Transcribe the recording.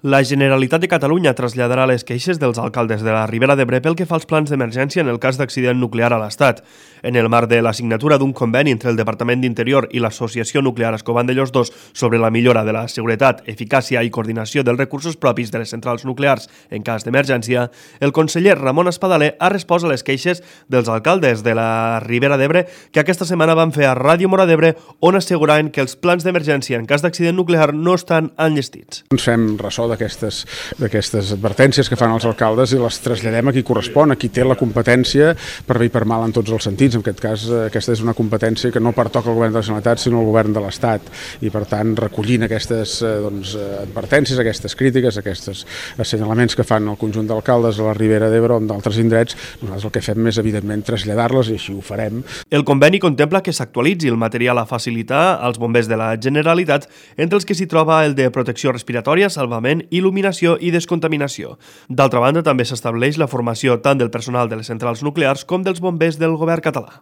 La Generalitat de Catalunya traslladarà les queixes dels alcaldes de la Ribera d'Ebre pel que fa als plans d'emergència en el cas d'accident nuclear a l'Estat. En el marc de la signatura d'un conveni entre el Departament d'Interior i l'Associació Nuclear Escovandellós II sobre la millora de la seguretat, eficàcia i coordinació dels recursos propis de les centrals nuclears en cas d'emergència, el conseller Ramon Espadaler ha respost a les queixes dels alcaldes de la Ribera d'Ebre que aquesta setmana van fer a Ràdio Móra d'Ebre, on asseguraven que els plans d'emergència en cas d'accident nuclear no estan enllestits. Ens fem ressò d'aquestes advertències que fan els alcaldes i les traslladem a qui correspon, a qui té la competència per bé i per mal en tots els sentits. En aquest cas, aquesta és una competència que no pertoca al govern de la Generalitat, sinó al govern de l'Estat. I, per tant, recollint aquestes advertències, aquestes crítiques, aquests assenyalaments que fan el conjunt d'alcaldes a la Ribera d'Ebre o d'altres indrets, nosaltres el que fem és, evidentment, traslladar-les, i així ho farem. El conveni contempla que s'actualitzi el material a facilitar als bombers de la Generalitat, entre els que s'hi troba el de protecció respiratòria, salvament, il·luminació i descontaminació. D'altra banda, també s'estableix la formació tant del personal de les centrals nuclears com dels bombers del govern català.